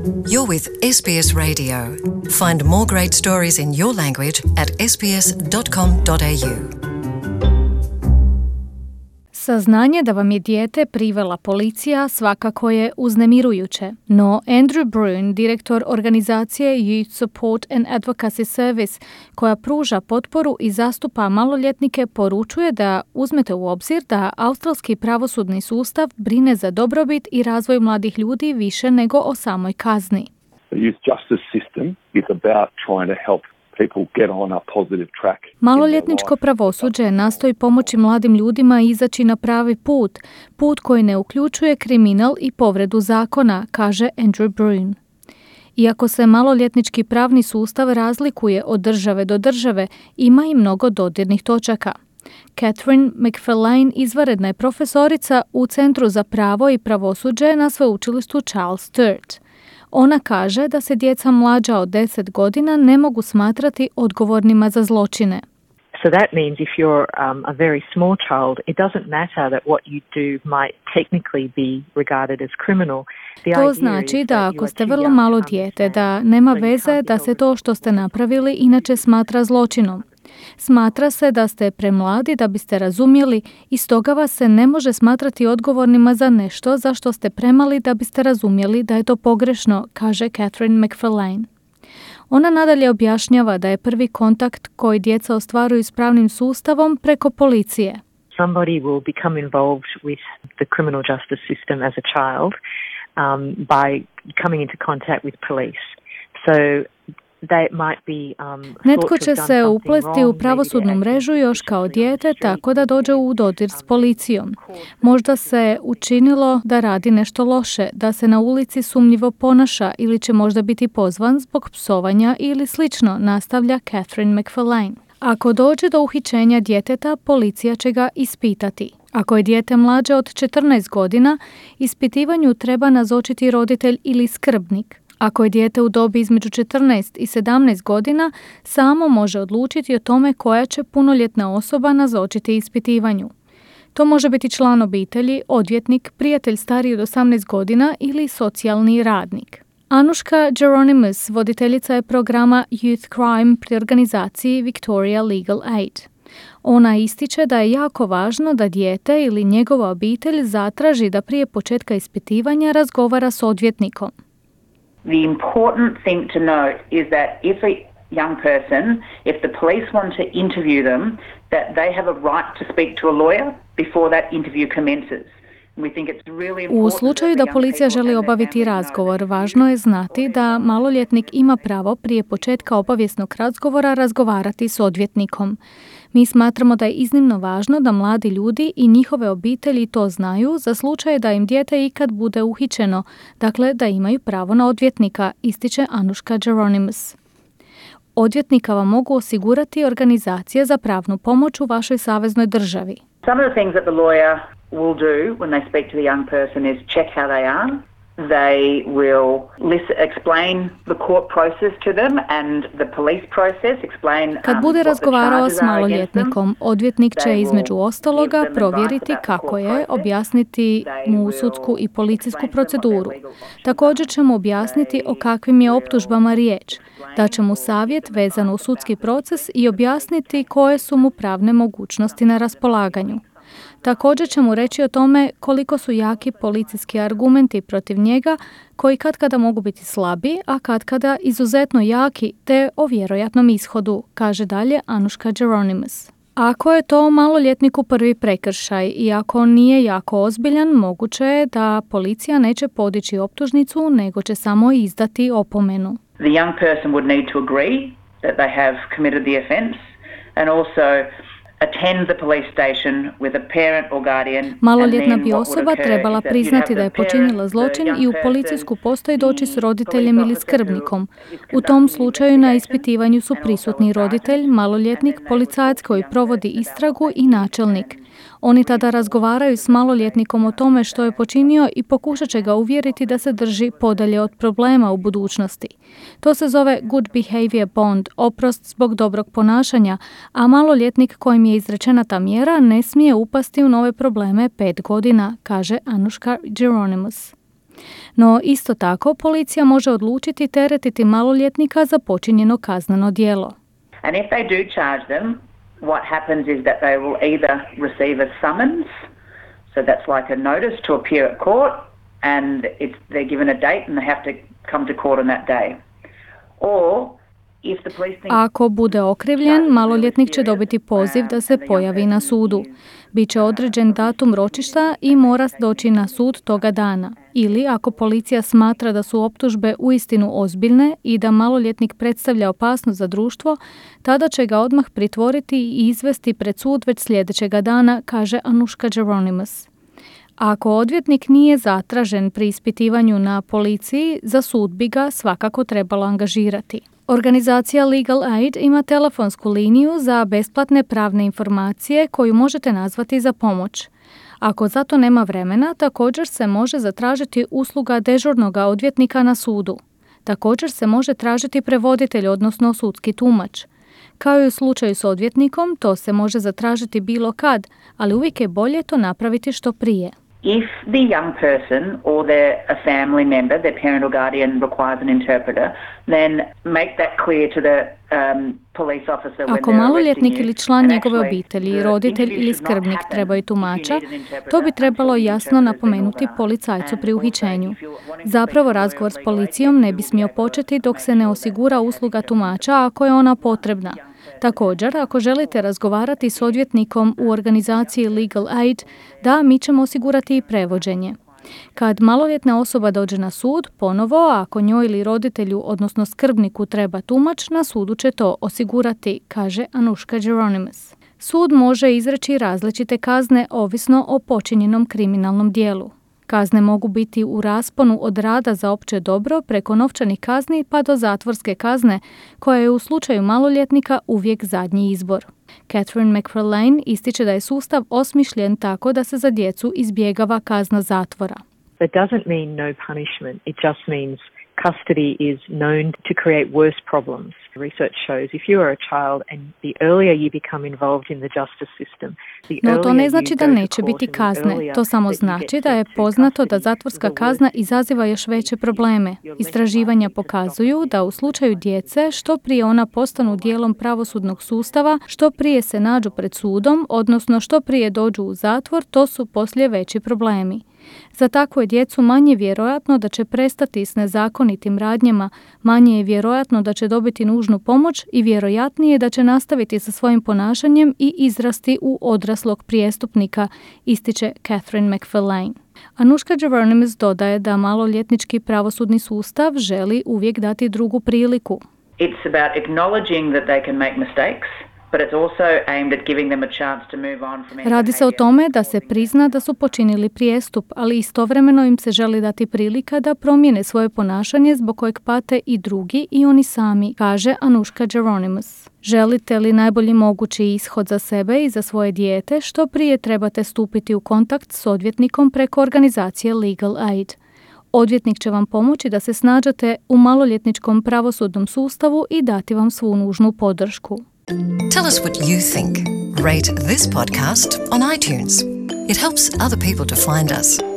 You're with SBS Radio. Find more great stories in your language at sbs.com.au. Saznanje da vam je dijete privela policija svakako je uznemirujuće, no Andrew Brune, direktor organizacije Youth Support and Advocacy Service, koja pruža potporu i zastupa maloljetnike, poručuje da uzmete u obzir da australski pravosudni sustav brine za dobrobit i razvoj mladih ljudi više nego o samoj kazni. The youth justice system is about trying to help people get on a positive track. Maloljetničko pravosuđe nastoji pomoći mladim ljudima izaći na pravi put, put koji ne uključuje kriminal i povredu zakona, kaže Andrew Brune. Iako se maloljetnički pravni sustav razlikuje od države do države, ima i mnogo dodirnih točaka. Catherine McFarlane izvanredna je profesorica u Centru za pravo i pravosuđe na sveučilištu Charles Sturt. Ona kaže da se djeca mlađa od 10 godina ne mogu smatrati odgovornima za zločine. So that means if you're a very small child, it doesn't matter that what you do might technically be regarded as criminal. To znači da ako ste vrlo malo dijete, da nema veze da se to što ste napravili inače smatra zločinom. Smatra se da ste premladi da biste razumjeli i stoga vas se ne može smatrati odgovornima za nešto za što ste premali da biste razumjeli da je to pogrešno, kaže Catherine McFarlane. Ona nadalje objašnjava da je prvi kontakt koji djeca ostvaruju s pravnim sustavom preko policije. Somebody will become involved with the criminal justice system as a child by coming into contact with police. So netko će se uplesti u pravosudnu mrežu još kao dijete tako da dođe u dodir s policijom. Možda se učinilo da radi nešto loše, da se na ulici sumnjivo ponaša ili će možda biti pozvan zbog psovanja ili slično, nastavlja Catherine McFarlane. Ako dođe do uhićenja djeteta, policija će ga ispitati. Ako je dijete mlađe od 14 godina, ispitivanju treba nazočiti roditelj ili skrbnik. Ako je dijete u dobi između 14 i 17 godina, samo može odlučiti o tome koja će punoljetna osoba nazočiti ispitivanju. To može biti član obitelji, odvjetnik, prijatelj stariji od 18 godina ili socijalni radnik. Anushka Geronimus, voditeljica je programa Youth Crime pri organizaciji Victoria Legal Aid. Ona ističe da je jako važno da dijete ili njegova obitelj zatraži da prije početka ispitivanja razgovara s odvjetnikom. The important thing to note is that if a young person, if the police want to interview them, that they have a right to speak to a lawyer before that interview commences. U slučaju da policija želi obaviti razgovor, važno je znati da maloljetnik ima pravo prije početka obavijesnog razgovora razgovarati s odvjetnikom. Mi smatramo da je iznimno važno da mladi ljudi i njihove obitelji to znaju za slučaj da im dijete ikad bude uhićeno, dakle da imaju pravo na odvjetnika, ističe Anushka Geronimus. Odvjetnika vam mogu osigurati organizacije za pravnu pomoć u vašoj saveznoj državi. Some of the things that the lawyer will do when they speak to the young person is check how they are. They will explain the court process to them and the police process, explain Kad bude razgovarao s maloljetnikom, odvjetnik će između ostaloga provjeriti kako je, objasniti mu sudsku i policijsku proceduru. Također će mu objasniti o kakvim je optužbama riječ. Daće mu savjet vezano u sudski proces i objasniti koje su mu pravne mogućnosti na raspolaganju. Također će mu reći o tome koliko su jaki policijski argumenti protiv njega, koji katkada mogu biti slabi, a katkada izuzetno jaki, te o vjerojatnom ishodu, kaže dalje Anushka Geronimus. Ako je to maloljetniku prvi prekršaj i ako on nije jako ozbiljan, moguće je da policija neće podići optužnicu, nego će samo izdati opomenu. The young person would need to agree that they have committed the offence and also attend the police station with a parent or guardian. Maloljetna bi osoba trebala priznati da je počinila zločin i u policijsku postaju doći s roditeljem ili skrbnikom. U tom slučaju na ispitivanju su prisutni roditelj, maloljetnik, policajac koji provodi istragu i načelnik. Oni tada razgovaraju s maloljetnikom o tome što je počinio i pokušat će ga uvjeriti da se drži podalje od problema u budućnosti. To se zove Good Behavior Bond, oprost zbog dobrog ponašanja, a maloljetnik kojim je izrečena ta mjera ne smije upasti u nove probleme 5 godina, kaže Anushka Geronimus. No isto tako policija može odlučiti teretiti maloljetnika za počinjeno kazneno djelo. And if they do charge them, what happens is that they will either receive a summons, so that's like a notice to appear at court, and they're given a date and they have to come to court on that day. Or ako bude okrivljen, maloljetnik će dobiti poziv da se pojavi na sudu. Biće određen datum ročišta i mora doći na sud toga dana. Ili ako policija smatra da su optužbe uistinu ozbiljne i da maloljetnik predstavlja opasnost za društvo, tada će ga odmah pritvoriti i izvesti pred sud već sljedećega dana, kaže Anushka Geronimus. Ako odvjetnik nije zatražen pri ispitivanju na policiji, za sud bi ga svakako trebalo angažirati. Organizacija Legal Aid ima telefonsku liniju za besplatne pravne informacije koju možete nazvati za pomoć. Ako za to nema vremena, također se može zatražiti usluga dežurnog odvjetnika na sudu. Također se može tražiti prevoditelj, odnosno sudski tumač. Kao i u slučaju s odvjetnikom, to se može zatražiti bilo kad, ali uvijek je bolje to napraviti što prije. If the young person or a family member, their parent or guardian requires an interpreter, then make that clear to the police officer when they're Ako maloljetnik ili član njegove obitelji, roditelj ili skrbnik trebaju tumača, to bi trebalo jasno napomenuti policajcu pri uhićenju. Zapravo razgovor s policijom ne bi smio početi dok se ne osigura usluga tumača ako je ona potrebna. Također, ako želite razgovarati s odvjetnikom u organizaciji Legal Aid, da, mi ćemo osigurati i prevođenje. Kad maloljetna osoba dođe na sud, ponovo, ako njoj ili roditelju, odnosno skrbniku treba tumač, na sudu će to osigurati, kaže Anushka Geronimus. Sud može izreći različite kazne ovisno o počinjenom kriminalnom djelu. Kazne mogu biti u rasponu od rada za opće dobro preko novčanih kazni pa do zatvorske kazne, koja je u slučaju maloljetnika uvijek zadnji izbor. Catherine McFarlane ističe da je sustav osmišljen tako da se za djecu izbjegava kazna zatvora. That doesn't mean no punishment. It just means custody is known to create worse problems. Research shows if you are a child and the earlier you become involved in the justice system, no to ne znači da neće biti kazne. To samo znači da je poznato da zatvorska kazna izaziva još veće probleme. Istraživanja pokazuju da u slučaju djece što prije ona postanu dijelom pravosudnog sustava, što prije se nađu pred sudom, odnosno što prije dođu u zatvor, to su poslije veći problemi. Za takvu je djecu manje vjerojatno da će prestati s nezakonitim radnjama, manje je vjerojatno da će dobiti nužnu pomoć i vjerojatnije da će nastaviti sa svojim ponašanjem i izrasti u odraslog prijestupnika, ističe Catherine McFarlane. Anushka Geronimus dodaje da maloljetnički pravosudni sustav želi uvijek dati drugu priliku. It's about acknowledging that they can make mistakes. Radi se o tome da se prizna da su počinili prijestup, ali istovremeno im se želi dati prilika da promijene svoje ponašanje zbog kojeg pate i drugi i oni sami, kaže Anushka Geronimus. Želite li najbolji mogući ishod za sebe i za svoje dijete, što prije trebate stupiti u kontakt s odvjetnikom preko organizacije Legal Aid. Odvjetnik će vam pomoći da se snađete u maloljetničkom pravosudnom sustavu i dati vam svu nužnu podršku. Tell us what you think. Rate this podcast on iTunes. It helps other people to find us.